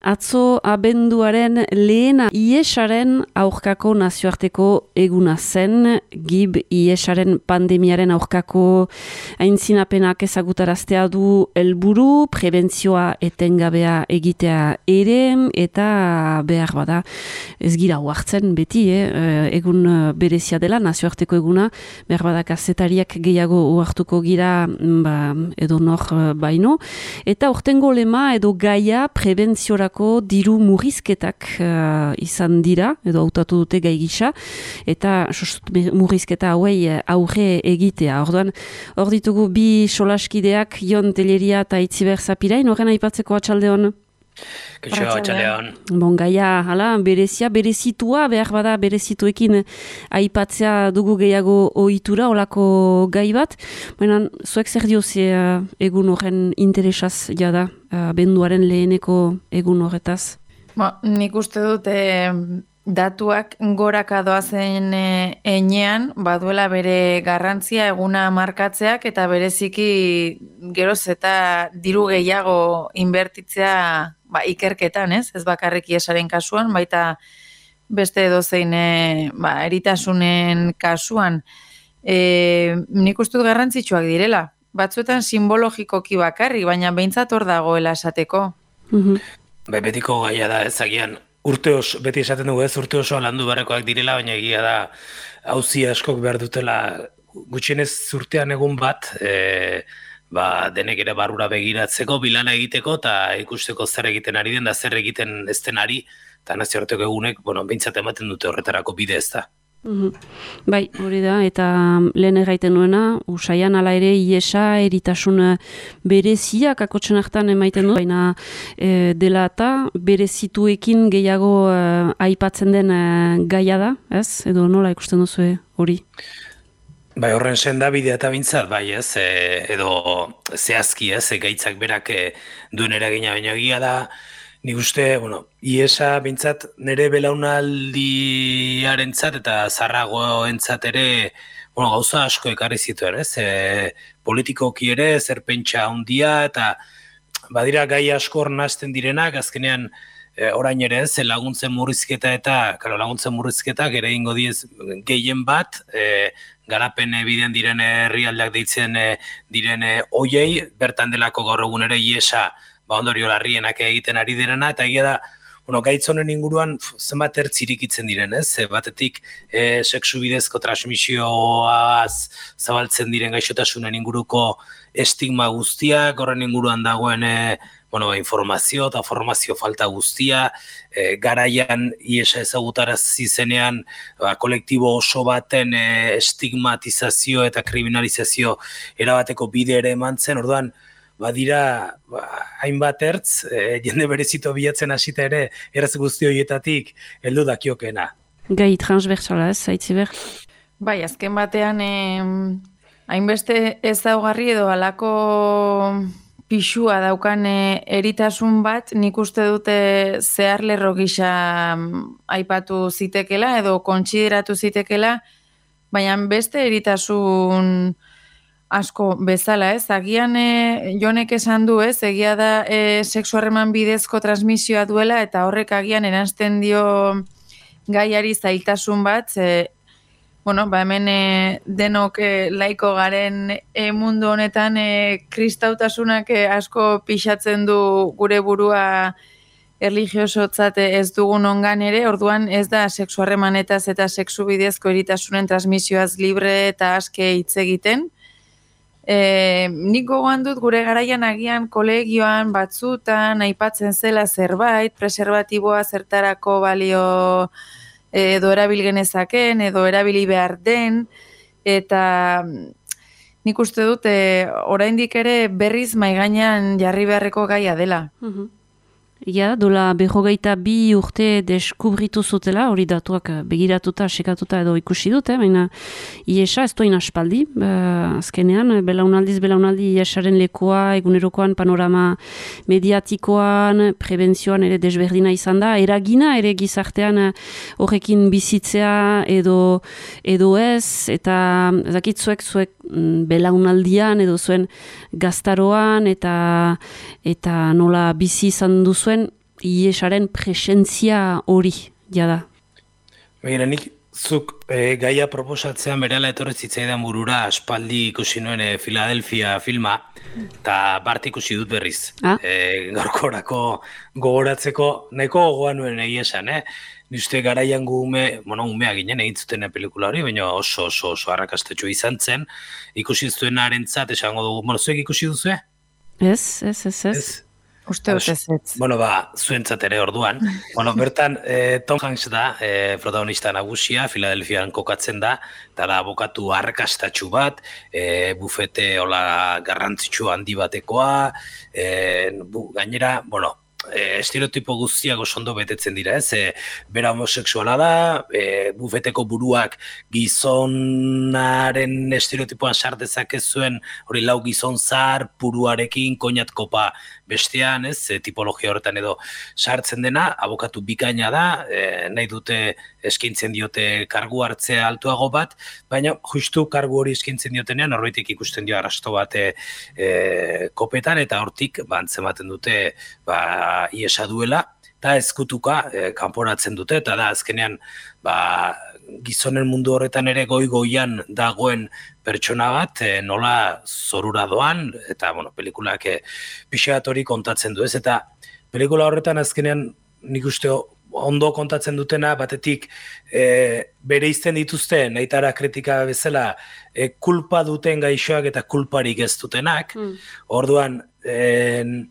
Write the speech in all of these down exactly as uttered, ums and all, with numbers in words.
atzo abenduaren lehena iesaren aurkako nazioarteko eguna zen, gib iesaren pandemiaren aurkako aintzinapenak ezagutaraztea du helburu, prebentzioa etengabea egitea ere, eta behar bada ez gira huartzen beti, eh? egun berezia dela, nazioarteko eguna, behar bada kazetariak gehiago huartuko gira ba, edo nor baino, eta urtengo lema edo gaia prebentziorako diru murrizketak uh, izan dira, edo hautatu dute gai gisa, eta murrizketa hauei aurre egitea. Orduan, hor ditugu bi solaskideak, Jon Telleria eta Itziber Zapirain, horren aipatzeko atxaldeon. Kaixo, atxaldeon. Bon, gaia, hala, berezia, berezitua, behar bada berezituekin aipatzea dugu gehiago ohitura, olako gai bat. Baina, zuek zer dioze uh, egun horren interesaz jada, uh, benduaren leheneko egun horretaz? Ba, nik uste dut eh, datuak goraka doazen eh, enean, baduela bere garrantzia eguna markatzeak eta bereziki geroz eta diru gehiago inbertitzea ba, ikerketan, ez? Ez bakarrik iesaren kasuan, baita beste edozein e, ba, eritasunen kasuan. E, nik uste dut garrantzitsuak direla. Batzuetan simbologikoki bakarrik, baina behintzat hor dagoela esateko. Mm-hmm. Be, betiko gaia da ezagian. Urte oso, beti esaten dugu ez, urte oso landu barrekoak direla, baina egia da auzi askok behar dutela gutxienez urtean egun bat, e, ba, denek ere barrura begiratzeko, bilana egiteko, eta ikusteko zer egiten ari den, da zer egiten ez den ari, eta nazioarteko egunek, bueno, behintzat ematen dute horretarako bide ez da. Mm-hmm. Bai, hori da, eta lehen erraiten nuena, usaian ala ere iesa eritasun bereziak akotzen hartan emaiten du, baina e, dela eta berezituekin gehiago e, aipatzen den e, gaia da, ez? Edo nola ikusten duzu hori? Bai, horren senda bidea eta bintzat, bai ez, e, edo zehazki ez, e, gaitzak berak e, duen eragina baino egia da. Nik uste, bueno, iesa bintzat nire belaunaldiarentzat eta zarragoentzat ere, bueno, gauza asko ekarri zituen, ez? E, politikoki ere, zerpentsa handia, eta badira gai asko hor nazten direnak, azkenean e, orain ere ez, laguntzen murrizketa eta, karo, laguntzen murrizketak ere ingo diez gehien bat, e, garapen biden diren herrialdeak deitzen e, diren oiei, bertan delako gaur egun ere iesa, ba ondorio larrienak egiten ari direna, eta egia da, bueno, gaitz honen inguruan zenbat ertz irikitzen diren, ez? Batetik e, sexu bidezko transmisioaz zabaltzen diren gaixotasunen inguruko estigma guztiak, horren inguruan dagoen e, bueno, informazio eta formazio falta guztia, e, garaian iesa ezagutarazi zenean ba, kolektibo oso baten e, estigmatizazio eta kriminalizazio erabateko bide ere eman zen, orduan, badira, ba, hainbat ertz, e, jende berezito bilatzen hasita ere, erraz guzti horietatik, heldu dakiokena. Gai transversala ez, Aitziber? Bai, azken batean, eh, hainbeste ezaugarri edo halako pixua daukan eh, eritasun bat, nik uste dute zehar lerro gisa aipatu zitekela, edo kontsideratu zitekela, baina beste eritasun asko bezala, ez? Agian e, Jonek esan du, ez? Egia da e, sexu harreman bidezko transmisioa duela eta horrek agian eransten dio gaiari zailtasun bat, e, bueno, ba hemen e, denok e, laiko garen e, mundu honetan e, kristautasunak e, asko pixatzen du gure burua erlijiosotzat ez dugun ongan ere, orduan ez da sexu harremanetaz eta sexu bidezko eritasunen transmisioaz libre eta aske hitz egiten. E, nik gogoan dut gure garaian agian kolegioan batzutan aipatzen zela zerbait, preservatiboa zertarako balio edo erabil genezaken, edo erabili behar den, eta nik uste dut e, oraindik ere berriz maigainan jarri beharreko gaia dela. Mhm. Ja, dola berrogeita bi urte deskubritu zutela, hori datuak begiratuta, sekatuta edo ikusi dute, baina iesa ez doin aspaldi, uh, azkenean, belaunaldiz belaunaldi iesaren lekoa, egunerokoan panorama mediatikoan, prebentzioan ere desberdina izan da, eragina ere gizartean horrekin bizitzea edo, edo ez, eta zakit zuek zuek belaunaldian edo zuen gaztaroan eta, eta nola bizi izan duzuen, iesaren presentzia hori, jada. Begira, nik zuk e, gaia proposatzean berela etorri zitzaidan burura aspaldi ikusi nuen e, Philadelphia filma, eta bart ikusi dut berriz. Ah? E, gaurkorako gogoratzeko nahiko gogoa nuen egia esan, eh? Niste garaian gu ume, bueno, umea ginen egin zuten pelikula hori, baina oso oso oso arrakastetxo izan zen. Ikusi zuen arentzat, esango dugu, bueno, zuek ikusi duzue? Ez, ez, ez, ez. Ez. Uste dut ez ez. Bueno, ba, zuentzat ere orduan. Bueno, bertan, eh, Tom Hanks da, eh, protagonista nagusia, Philadelphiaan kokatzen da, eta da abokatu arrakastatxu bat, eh, bufete hola garrantzitsu handi batekoa, eh, bu, gainera, bueno, E, estereotipo guztiak oso ondo betetzen dira, ez? E, bera homosexuala da, e, bufeteko buruak gizonaren estereotipoan sar dezakezuen, hori lau gizon zar, puruarekin, koinat kopa bestean, ez? E, tipologia horretan edo sartzen dena, abokatu bikaina da, e, nahi dute eskaintzen diote kargu hartzea altuago bat, baina justu kargu hori eskaintzen diotenean, norbaitek ikusten dio arrasto bat e, e, kopetan, eta hortik, ba, antzematen dute, ba, iesa duela, eta ezkutuka e, kanporatzen dute, eta da azkenean ba, gizonen mundu horretan ere goi-goian dagoen pertsona bat, e, nola zorura doan, eta bueno, pelikulak e, pixeat hori kontatzen du ez, eta pelikula horretan azkenean nik uste ondo kontatzen dutena, batetik e, bere izten dituzte, nahitara kritika bezala, e, kulpa duten gaixoak eta kulparik ez dutenak, mm. orduan, e,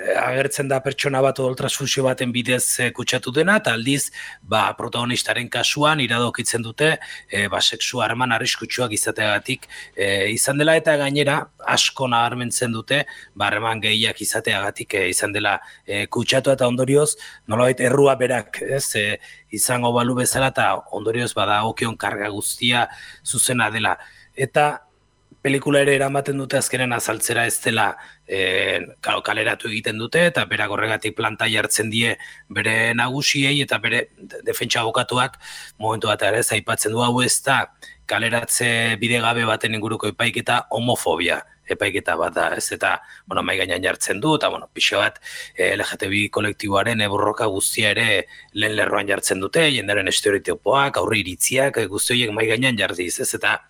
agertzen da pertsona bat odol transfusio baten bidez e, kutsatu dena, eta aldiz ba, protagonistaren kasuan iradokitzen dute e, ba, sexu harreman arriskutsuak izateagatik e, izan dela, eta gainera asko nabarmentzen dute ba, harreman gehiak izateagatik e, izan dela e, kutsatu, eta ondorioz nolabait errua berak ez, e, izango balu bezala, eta ondorioz bada okion karga guztia zuzena dela. Eta pelikula ere eramaten dute azkenen azaltzera ez dela e, kaleratu egiten dute, eta berak horregatik planta jartzen die bere nagusiei, eta bere defentsa abokatuak momentu bat ere aipatzen du hau ez da kaleratze bidegabe baten inguruko epaiketa homofobia epaiketa bat da, ez, eta bueno, mai gainean jartzen du, eta bueno, pixe bat L G T B kolektiboaren borroka guztia ere lehen lerroan jartzen dute, jendaren estereotipoak, aurre iritziak, guzti horiek mai gainean jardiz, ez, eta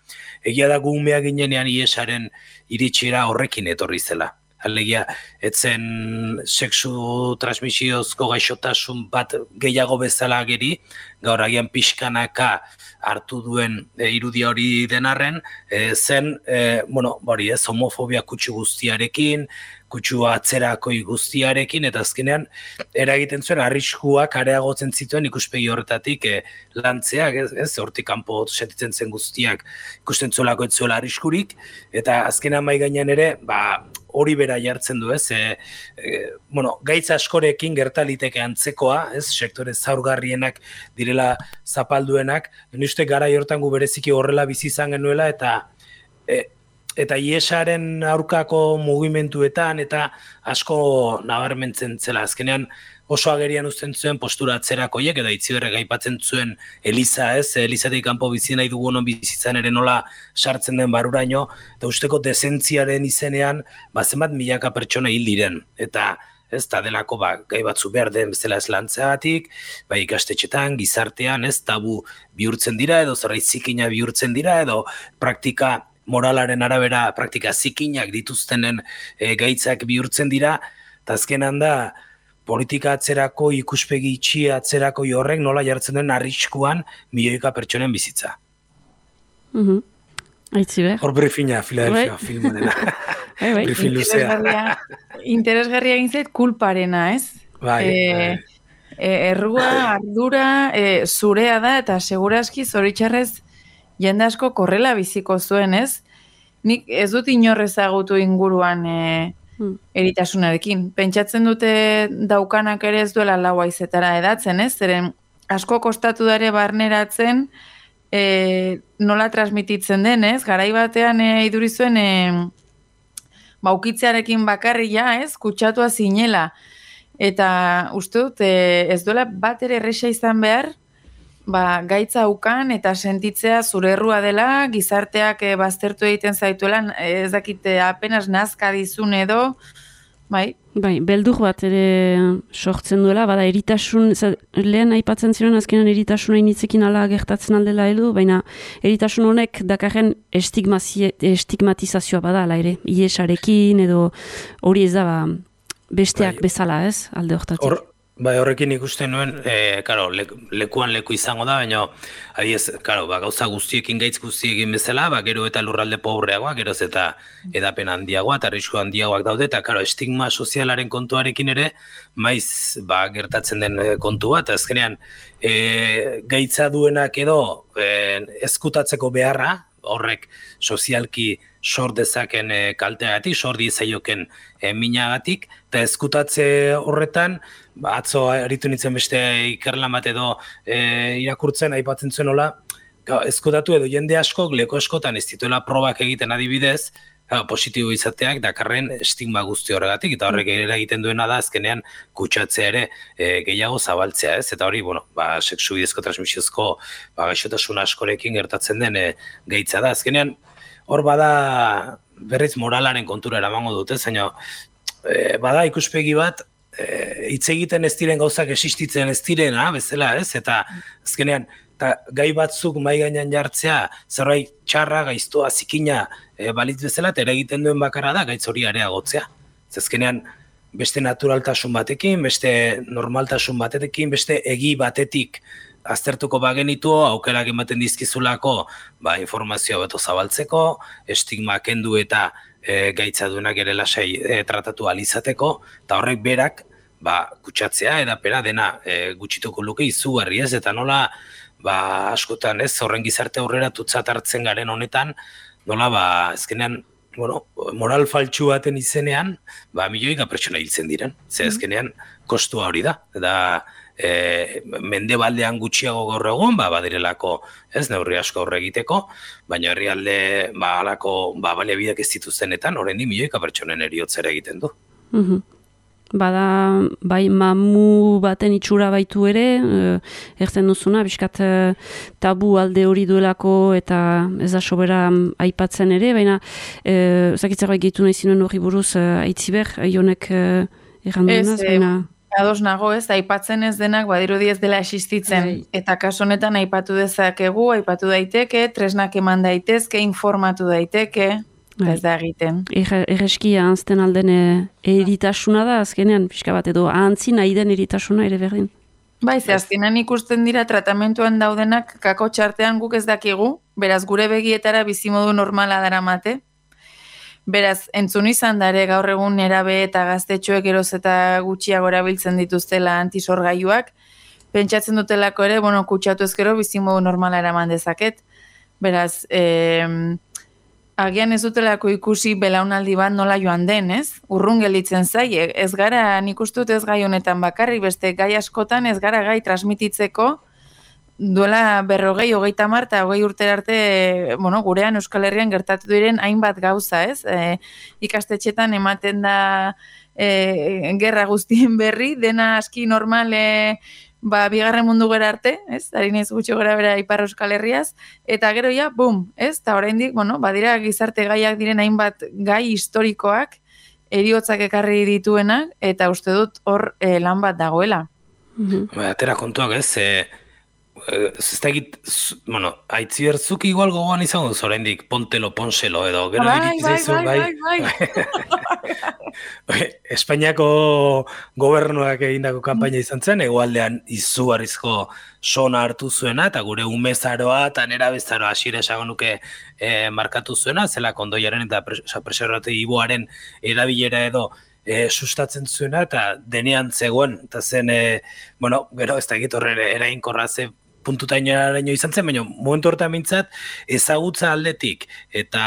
egia da gu umea ginenean iesaren iritxera horrekin etorri zela. Alegia, etzen sexu transmisiozko gaixotasun bat gehiago bezala geri, gaur agian pixkanaka hartu duen e, irudia hori denarren, e, zen, e, bueno, bori ez, homofobia kutsu guztiarekin, kutsu atzerakoi guztiarekin, eta azkenean eragiten zuen arriskuak areagotzen zituen ikuspegi horretatik e, lantzeak, ez, ez, hortik kanpo sentitzen zen guztiak ikusten zuelako ez zuela arriskurik, eta azkenean mai gainean ere, ba, hori bera jartzen du, ez, e, e, bueno, gaitz askorekin gertaliteke antzekoa, ez, sektore zaurgarrienak direla zapalduenak, uste garai hortan gu bereziki horrela bizi izan genuela, eta e, eta iesaren aurkako mugimenduetan eta asko nabarmentzen zela. Azkenean oso agerian uzten zuen postura atzerakoiek, eta Itziberrek aipatzen zuen Eliza, ez, Elizatik kanpo bizi nahi dugu honon bizitzan ere nola sartzen den baruraino, eta usteko dezentziaren izenean, ba, zenbat milaka pertsona hil diren, eta ez da delako ba, gai batzu behar den bezala eslantzeagatik, ba, ikastetxetan, gizartean, ez, tabu bihurtzen dira, edo zerbait zikina bihurtzen dira, edo praktika moralaren arabera praktika zikinak dituztenen e, gaitzak bihurtzen dira, eta azkenan da politika atzerako, ikuspegi itxia atzerako horrek nola jartzen den arriskuan milioika pertsonen bizitza. Mhm. Aitziber. Hor briefina, Philadelphia filma dena. Briefin luzea. Interesgarria egin zait kulparena, ez? Bai, e, e, errua, ardura, e, zurea da, eta segurazki zoritxarrez jende asko korrela biziko zuen, ez? Nik ez dut inorrezagutu inguruan e, hmm. eritasunarekin. Pentsatzen dute daukanak ere ez duela lau haizetara edatzen, ez? Zeren asko kostatu dare barneratzen e, nola transmititzen den, ez? Garai batean e, iduri zuen e, baukitzearekin bakarria, ez? Kutsatua zinela. Eta uste dut e, ez duela bat ere erresa izan behar, ba, gaitza ukan eta sentitzea zure errua dela, gizarteak e, baztertu egiten zaituela, ez dakite apenas nazka dizun edo, bai. Bai, beldur bat ere sortzen duela, bada eritasun, lehen aipatzen ziren azkenan eritasuna initzekin ala gertatzen aldela heldu, baina eritasun honek dakarren estigmatizazioa bada, ala ere, iesarekin edo hori ez da ba, besteak bai. Bezala ez, alde hortatik. Hor, bai, horrekin ikusten nuen, e, karo, le, lekuan leku izango da, baina adiez, karo, ba, gauza guztiekin, gaitz guztiekin bezala, ba, gero eta lurralde pobreagoa, geroz eta edapen handiagoa, eta arrisku handiagoak daude, eta karo, estigma sozialaren kontuarekin ere, maiz, ba, gertatzen den kontu bat, azkenean, e, gaitza duenak edo e, ezkutatzeko beharra, horrek sozialki sor dezaken e, kalteagatik, sor diezaioken e, minagatik, eta ezkutatze horretan, ba, atzo aritu nintzen beste ikerlan bat edo e, irakurtzen, aipatzen zuen hola, ezkutatu edo jende askok, leko askotan ez dituela probak egiten adibidez, ja, positibo izateak dakarren estigma guzti horregatik, eta horrek ere egiten duena da azkenean kutsatzea ere e, gehiago zabaltzea, ez? Eta hori, bueno, ba, sexu bidezko transmisiozko ba, gaixotasun askorekin gertatzen den e, gaitza da. Azkenean, hor bada berriz moralaren kontura eramango dute, zaino, e, bada ikuspegi bat, hitz e, egiten ez diren gauzak existitzen ez direna, bezala, ez? Eta azkenean, eta gai batzuk mai gainean jartzea, zerbait txarra, gaiztoa, zikina e, balitz bezala, eta egiten duen bakarra da gaitz hori areagotzea. Zezkenean, beste naturaltasun batekin, beste normaltasun batekin, beste egi batetik aztertuko bagenitu, aukerak ematen dizkizulako ba, informazioa beto zabaltzeko, estigma kendu eta e, gaitza duenak ere lasai e, tratatu alizateko, eta horrek berak ba, kutsatzea, edapera dena e, gutxituko luke izugarri ez, eta nola ba, askotan ez, horren gizarte aurrera tutzat hartzen garen honetan, nola, ba, ezkenean, bueno, moral faltsu baten izenean, ba, milioika pertsona hiltzen diren. Ze ezkenean, kostua hori da. Eta e, mendebaldean gutxiago gaur egun, ba, badirelako, ez, neurri asko horre egiteko, baina herrialde, ba, alako, ba, baliabideak ez dituztenetan, horrein di milioika pertsonen eriotzera egiten du. Mhm. Bada, bai, mamu baten itxura baitu ere, eh, ertzen duzuna, biskat eh, tabu alde hori duelako eta ez da sobera aipatzen ere, baina eh, zakitzer bai gehitu nahi zinuen hori buruz eh, aitziber, jonek eh, erranduenaz, baina... Ados nago ez, aipatzen ez denak badirudi ez dela existitzen, bai. Eta kaso honetan aipatu dezakegu, aipatu daiteke, tresnak eman daitezke, informatu daiteke... Ez da egiten. Erreski ahantzten alden eritasuna da, azkenean, pixka bat edo ahantzi nahi den eritasuna ere berdin. Bai, ze azkenean ikusten dira tratamentuan daudenak kako txartean guk ez dakigu, beraz gure begietara bizimodu normala daramate. Beraz, entzun izan dare gaur egun erabe eta gaztetxoek eroz eta gutxiago erabiltzen dituztela antisorgailuak, pentsatzen dutelako ere, bueno, kutsatu ezkero bizimodu normala eraman dezaket. Beraz, eh, agian ez dutelako ikusi belaunaldi bat nola joan den, ez? Urrun gelditzen zaie. Ez gara, nik uste dut ez gai honetan bakarri, beste gai askotan ez gara gai transmititzeko duela berrogei, hogeita hamar eta hogei urtera arte, bueno, gurean Euskal Herrian gertatu diren hainbat gauza, ez? E, ikastetxetan ematen da e, gerra guztien berri, dena aski normal e, ba, bigarren mundu gera arte, ez? Ari naiz gutxi gora bera Ipar Euskal Herriaz, eta gero ja, bum, ez? Ta oraindik, bueno, badira gizarte gaiak diren hainbat gai historikoak heriotzak ekarri dituenak, eta uste dut hor e, lan bat dagoela. Mm-hmm. Ba, atera kontuak ez, e, ez da egit, bueno, aitziberzuk igual gogoan izango duz oraindik pontelo, ponselo, edo gero bai, irikiz zaizu, bai, bai, bai, bai. Espainiako gobernuak egindako kanpaina izan zen, egualdean izugarrizko sona hartu zuena, eta gure umezaroa eta nera bezaroa hasiera esango nuke e, markatu zuena, zela kondoiaren eta preservatiboaren erabilera edo e, sustatzen zuena, eta denean zegoen, eta zen, e, bueno, gero ez da egit horre erainkorra ze puntutainoaraino izan zen, baina momentu horretan mintzat ezagutza aldetik eta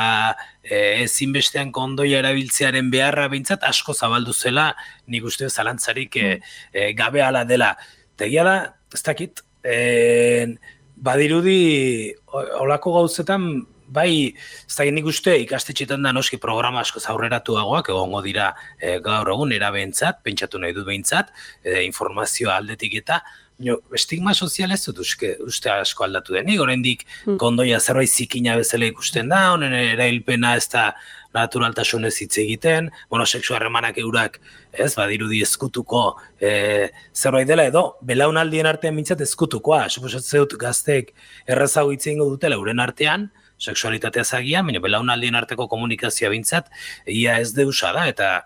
e, ezinbestean kondoia erabiltzearen beharra bintzat asko zabaldu zela, nik uste zalantzarik e, e, gabe ala dela. Tegia da, ez dakit, e, badirudi olako gauzetan, bai, ez dakit nik uste ikastetxetan da noski programa asko zaurreratuagoak, egongo dira e, gaur egun erabentzat, pentsatu nahi dut behintzat, e, informazioa aldetik eta, no, estigma sozial ez dut uste, uste asko aldatu denik, oraindik kondoia zerbait zikina bezala ikusten da, honen erailpena ez da naturaltasunez hitz egiten, bueno, sexu harremanak eurak, ez, badirudi ezkutuko e, zerbait dela, edo belaunaldien artean mintzat ezkutukoa, suposatzen dut gazteek errazago hitz egingo dutela euren artean, sexualitatea zagian, baina belaunaldien arteko komunikazioa bintzat, ia ez deusa da, eta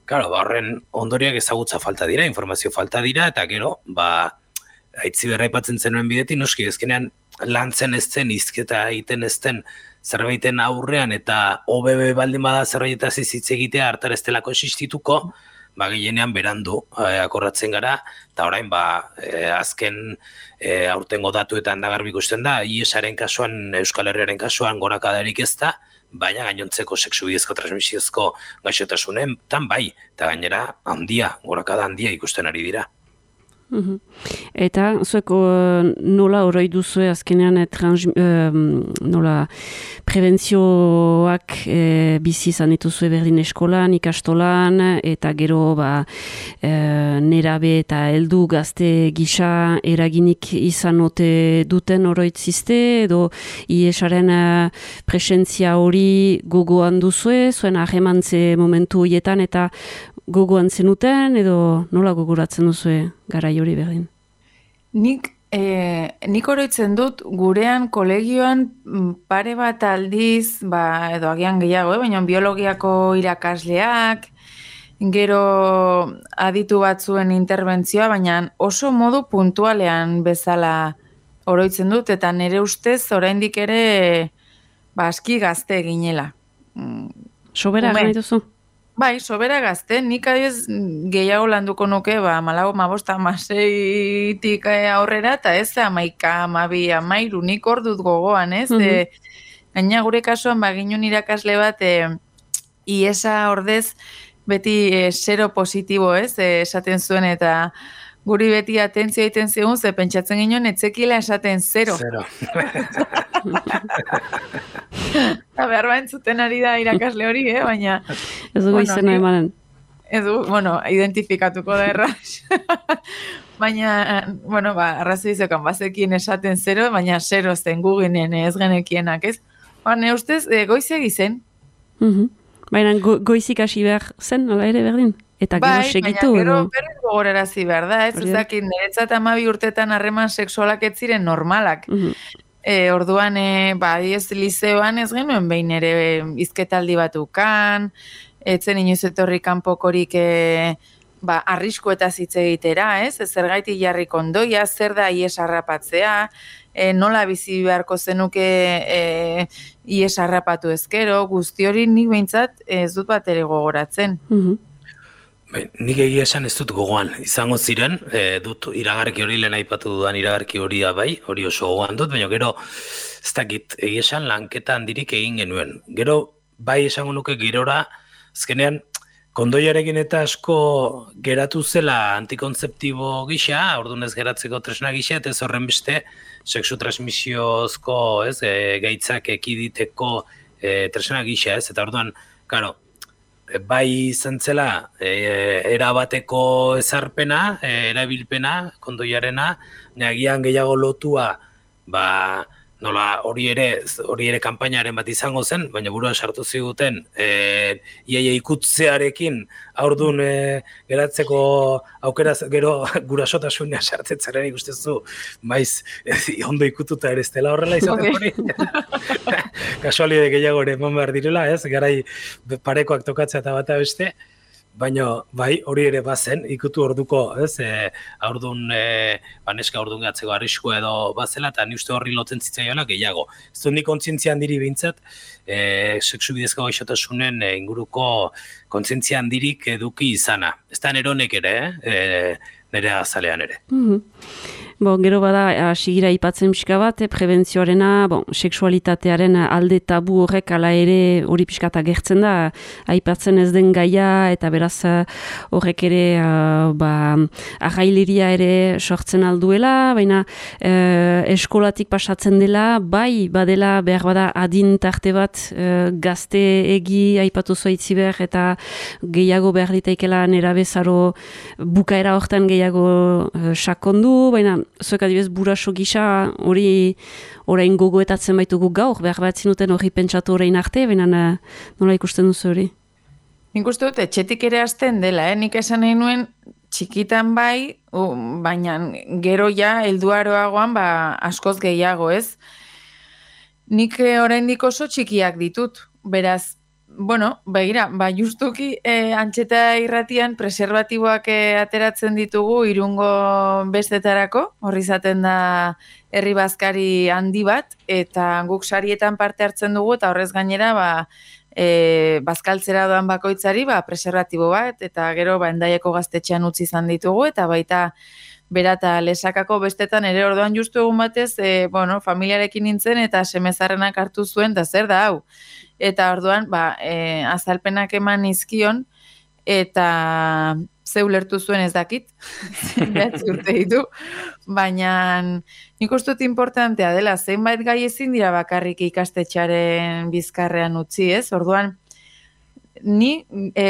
claro, ba, horren ondoriak ezagutza falta dira, informazio falta dira, eta gero, ba, aitzi berra aipatzen zenuen bidetik, noski, ezkenean lantzen ez zen, izketa egiten ez den zerbaiten aurrean, eta O B B baldin bada zerbaitaz hitz egitea hartar ez delako existituko, ba, gehienean berandu eh, akorratzen gara, eta orain, ba, eh, azken eh, aurtengo datuetan da garbi ikusten da, I E S-aren kasuan, Euskal Herriaren kasuan gorakadarik ez da, baina gainontzeko sexu bidezko transmisiozko gaixotasunen, tan bai, eta gainera handia, gorakada handia ikusten ari dira. Uhum. Eta zuek uh, nola horoi duzue azkenean trans, uh, nola prebentzioak uh, bizi izan dituzue berdin eskolan, ikastolan, eta gero ba, uh, nerabe eta heldu gazte gisa eraginik izan ote duten oroitzizte, edo I E S-aren uh, presentzia hori gogoan duzue, zuen ahemantze momentu horietan, eta gogoan zenuten, edo nola gogoratzen duzue garai hori berdin? Nik, eh, nik oroitzen dut gurean kolegioan pare bat aldiz, ba, edo agian gehiago, eh? Baina biologiako irakasleak, gero aditu batzuen interbentzioa, baina oso modu puntualean bezala oroitzen dut, eta nire ustez oraindik ere ba, aski gazte ginela. Sobera gana dituzu? Bai, sobera gazte, nik adioz gehiago landuko nuke, ba, malago, mabosta, maseitik aurrera, eta ez, amaika, amabi, amairu, nik hor dut gogoan, ez? Mm -hmm. e, gaina gure kasuan, ba, ginun irakasle bat, e, iesa ordez, beti e, zero positibo, ez? E, esaten zuen, eta guri beti atentzio egiten zigun, ze pentsatzen ginen, etzekila esaten zero. Zero. Eta behar ba entzuten ari da irakasle hori, eh? Baina... Ez dugu bueno, izena emanen. Ez dugu, bueno, identifikatuko da erraz. Baina, bueno, ba, arrazoi zekan, bazekin esaten zero, baina zero zen guginen ez genekienak, ez? Baina, ustez, e, goizeg izen. Uh -huh. Baina, go, goizik hasi behar zen, nola ere berdin? Eta gero bai, segitu, baina gero berriz gogorarazi behar da, ez? Hori. Ezakit, niretzat amabi urtetan harreman sexualak ez ziren normalak. Uh -huh. E, orduan, e, ba, ez lizeoan ez genuen behin ere izketaldi bat ukan, etzen inoiz etorri kanpokorik e, ba, arriskuetaz hitz egitera, ez? Ez zergaitik jarrik ondoia, zer da I E S harrapatzea, e, nola bizi beharko zenuke e, I E S harrapatu ezkero, guzti hori nik behintzat ez dut bat ere gogoratzen. Uh-huh. Bai, nik egia esan ez dut gogoan, izango ziren, e, dut iragarki hori lehen aipatu dudan iragarki hori da bai, hori oso gogoan dut, baina gero ez dakit egia esan lanketa handirik egin genuen. Gero bai esango nuke gerora, azkenean kondoiarekin eta asko geratu zela antikontzeptibo gisa, orduan ez geratzeko tresna gisa, eta ez horren beste sexu transmisiozko ez, e, gaitzak ekiditeko e, tresna gisa, ez, eta orduan, karo, bai izan zela e, erabateko ezarpena, e, erabilpena, kondoiarena, nagian gehiago lotua, ba, nola hori ere, hori ere kanpainaren bat izango zen, baina burua sartu ziguten, e, iaia ikutzearekin aurdun e, geratzeko aukera gero gurasotasunean sartetzaren ikustezu, maiz, e, ondo ikututa ere ez dela horrela izaten hori. Kasualide gehiago ere eman behar direla, ez? Garai parekoak tokatzea eta bata beste, baina bai hori ere bazen, ikutu orduko, ez? E, aurdun, e, baneska aurdun gatzeko arriskua edo bazela, eta ni uste horri lotzen zitzaiola gehiago. Ez dut ni kontzientzia handirik behintzat, e, sexu bidezko gaixotasunen e, inguruko kontzientzia handirik eduki izana. Ez da neronek ere, eh? E, nire azalean ere. Mm-hmm. Bon, gero bada, sigira ipatzen pixka bat, eh, prebentzioarena, bon, seksualitatearen alde tabu horrek ala ere hori pixkata gertzen da, aipatzen ez den gaia, eta beraz horrek ere uh, ba, arraileria ere sortzen alduela, baina uh, eskolatik pasatzen dela, bai badela behar bada adin tarte bat uh, gazte egi aipatu zoitzi behar, eta gehiago behar ditaikela nera bezaro bukaera hortan gehiago uh, sakondu, baina zuek adibidez buraso gisa hori orain gogoetatzen baitugu gaur, behar bat zinuten hori pentsatu orain arte, baina nola ikusten duzu hori? Nik uste dut, etxetik ere hasten dela, eh? Nik esan nahi nuen txikitan bai, uh, baina gero ja, helduaroagoan, ba, askoz gehiago, ez? Nik oraindik oso txikiak ditut, beraz, bueno, begira, ba, justuki eh, antxeta irratian preservatiboak eh, ateratzen ditugu irungo bestetarako, horri izaten da herri bazkari handi bat, eta guk sarietan parte hartzen dugu, eta horrez gainera, ba, e, bazkaltzera doan bakoitzari, ba, preservatibo bat, eta gero, ba, Hendaiako gaztetxean utzi izan ditugu, eta baita berata lesakako bestetan ere orduan justu egun batez, e, bueno, familiarekin nintzen, eta semezarrenak hartu zuen, eta zer da, hau? Eta orduan, ba, e, azalpenak eman izkion, eta ze ulertu zuen ez dakit, behatzi urte ditu, baina nik uste dut importantea dela, zeinbait gai ezin dira bakarrik ikastetxaren bizkarrean utzi, ez? Orduan, ni e,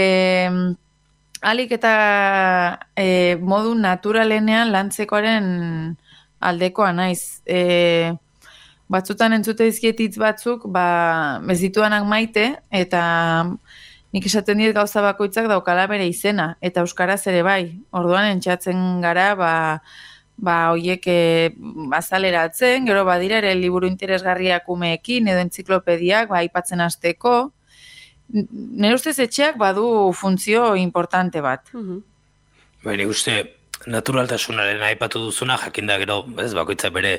alik eta e, modu naturalenean lantzekoaren aldekoa naiz. E, batzutan entzute dizkietitz batzuk, ba, ez dituanak maite, eta nik esaten diet gauza bakoitzak daukala bere izena, eta euskaraz ere bai. Orduan entxatzen gara, ba, ba hoiek e, azaleratzen, gero badira ere liburu interesgarriak umeekin, edo entziklopediak, ba, aipatzen hasteko. Nire ustez etxeak badu funtzio importante bat. Mhm. Baina uste, naturaltasunaren aipatu duzuna, jakinda gero, ez, bakoitza bere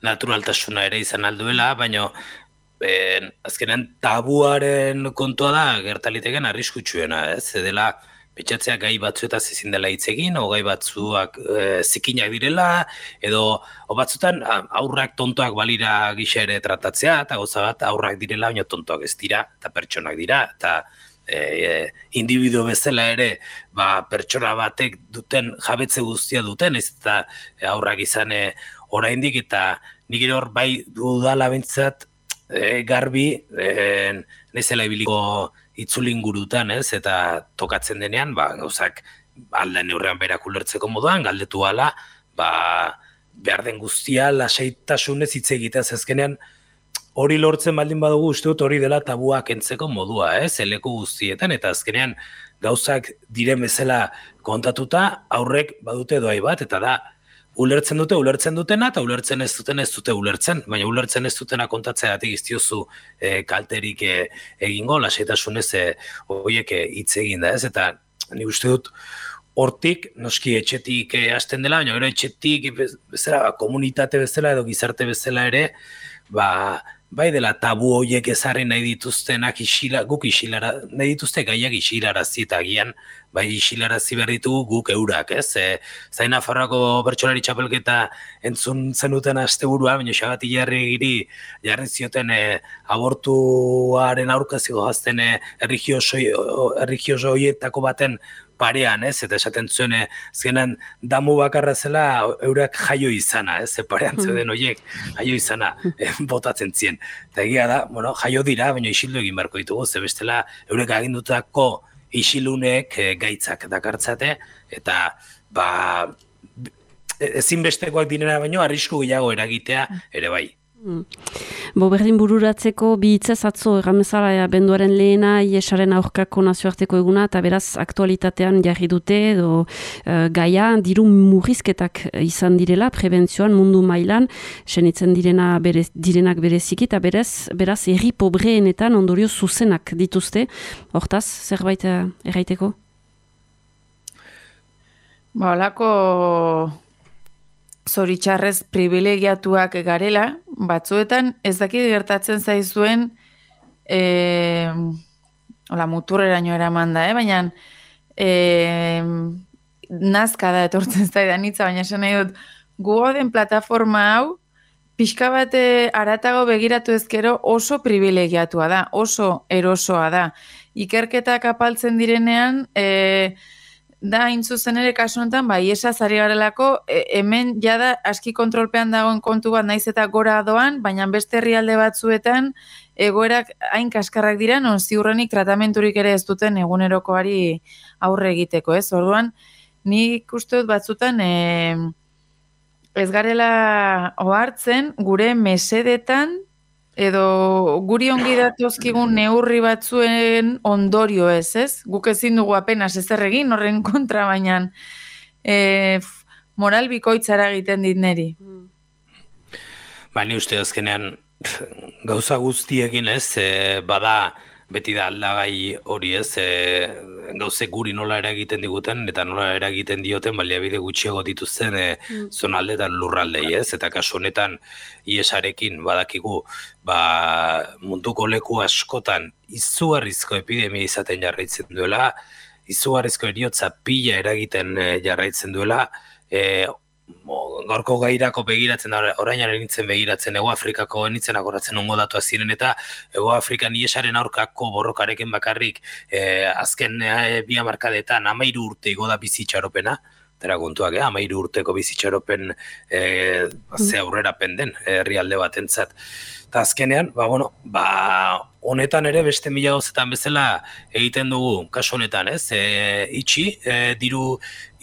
naturaltasuna ere izan alduela, baina Ben, azkenean tabuaren kontua da gertaliteken arriskutsuena, ez? Edela, pentsatzea gai batzuetaz ezin dela hitz egin, o gai batzuak e, zikinak direla, edo o batzutan aurrak tontoak balira gisa ere tratatzea, eta gauza bat aurrak direla, baina tontoak ez dira, eta pertsonak dira, eta e, e, individu bezala ere, ba, pertsona batek duten jabetze guztia duten, ez eta aurrak izan e, oraindik, eta nik hor bai dudala bentsat, E, garbi, e, nezela ibiliko itzulingurutan, ez, eta tokatzen denean, ba, gauzak alda neurrean berak ulertzeko moduan, galdetu ala, ba, behar den guztia, lasaitasunez hitz egitea azkenean, hori lortzen baldin badugu uste dut hori dela tabua kentzeko modua, ez, eleku guztietan, eta azkenean gauzak diren bezala kontatuta, aurrek badute doai bat, eta da, ulertzen dute, ulertzen dutena, eta ulertzen ez duten ez dute ulertzen, baina ulertzen ez dutena kontatzeagatik iztiozu e, kalterik e, egingo, lasaitasunez e, horiek hitz egin da, ez? Eta ni uste dut hortik, noski etxetik e, hasten dela, baina gero etxetik bezala, komunitate bezala edo gizarte bezala ere, ba, bai dela tabu horiek ezarri nahi dituztenak isila, guk isilara, nahi dituzte gaiak isilarazi eta agian, bai isilarazi behar ditugu guk eurak, ez? E, Zain Nafarroako bertsolari txapelketa entzun zenuten asteburua, baina Xabati Jarrigiri jarri zioten e, abortuaren aurkazio gazten e, erligioso horietako baten parean, ez? Eta esaten zuen, zenen damu bakarra zela eurak jaio izana, ez? Parean zeuden horiek jaio izana eh, botatzen zien. Eta egia da, bueno, jaio dira, baina isildu egin beharko ditugu, ze bestela eurek agindutako isilunek eh, gaitzak dakartzate, eta ba, ezinbestekoak direna baino arrisku gehiago eragitea ere bai. Mm. Bo berdin bururatzeko bi hitzez atzo erramezala ja, benduaren lehena iesaren aurkako nazioarteko eguna eta beraz aktualitatean jarri dute edo uh, gaia diru murrizketak izan direla prebentzioan mundu mailan senitzen direna berez, direnak bereziki eta berez, beraz herri pobreenetan ondorio zuzenak dituzte. Hortaz, zerbait uh, erraiteko? Ba, holako zoritxarrez privilegiatuak garela, batzuetan ez dakit gertatzen zaizuen e, hola, muturreraino eraman da, eh? Baina e, nazka da etortzen zaidan hitza, baina esan nahi dut, gu den plataforma hau pixka bat haratago begiratu ezkero oso privilegiatua da, oso erosoa da. Ikerketak apaltzen direnean, e, da, hain zuzen ere kasu honetan, bai, esaz ari garelako, e, hemen jada aski kontrolpean dagoen kontu bat naiz eta gora doan, baina beste herrialde batzuetan egoerak hain kaskarrak dira, non ziurrenik tratamenturik ere ez duten egunerokoari aurre egiteko, ez? Orduan, nik uste dut batzutan e, ez garela ohartzen gure mesedetan edo guri ongi datozkigun neurri batzuen ondorio ez, ez? Guk ezin dugu apenas ezer egin horren kontra, baina e, moral bikoitzara egiten dit neri. Ba, ni uste azkenean gauza guztiekin ez, e, bada beti da aldagai hori ez, e, gauze guri nola eragiten diguten eta nola eragiten dioten baliabide gutxiago dituzten e, mm. zonalde eta lurraldei ez, eta kasu honetan iesarekin badakigu ba, munduko leku askotan izugarrizko epidemia izaten jarraitzen duela, izugarrizko eriotza pila eragiten e, jarraitzen duela, e, gaurko gairako begiratzen, orainaren nintzen begiratzen, Ego Afrikako nintzen agoratzen ongo datua ziren, eta Ego Afrikan iesaren aurkako borrokarekin bakarrik eh, azken eh, bi hamarkadetan hamairu urte igo da bizitxaropena, eta kontuak, eh, hamairu urteko bizitxaropen eh, ze aurrera penden herrialde batentzat. Eta azkenean, ba, bueno, ba, honetan ere beste mila gauzetan bezala egiten dugu, kasu honetan, ez, e, itxi, e, diru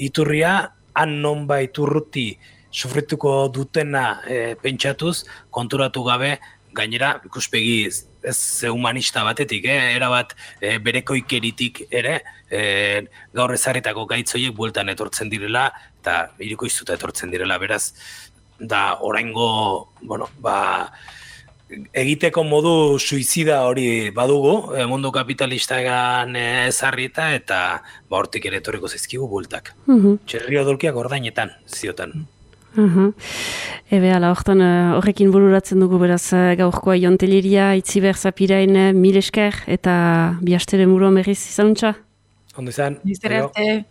iturria, han nonbait urruti sufrituko dutena e, pentsatuz, konturatu gabe, gainera ikuspegi ez humanista batetik, eh? Erabat e, berekoikeritik ere, e, gaur ezarritako gaitzoiek bueltan etortzen direla, eta irikoiztuta etortzen direla, beraz, da oraingo, bueno, ba, egiteko modu suizida hori badugu, e, mundu kapitalistagan ezarrita, eta ba, hortik ere etorriko zaizkigu bueltak. Uh-huh. Txerri odolkiak ordainetan, ziotan. Uh-huh. Ebe, ala, hortan horrekin bururatzen dugu beraz gaurkoa Jonteleria, Itziber Zapirain, mil esker, eta bihastere muruan berriz izanuntza? Ondo izan. Bizter arte.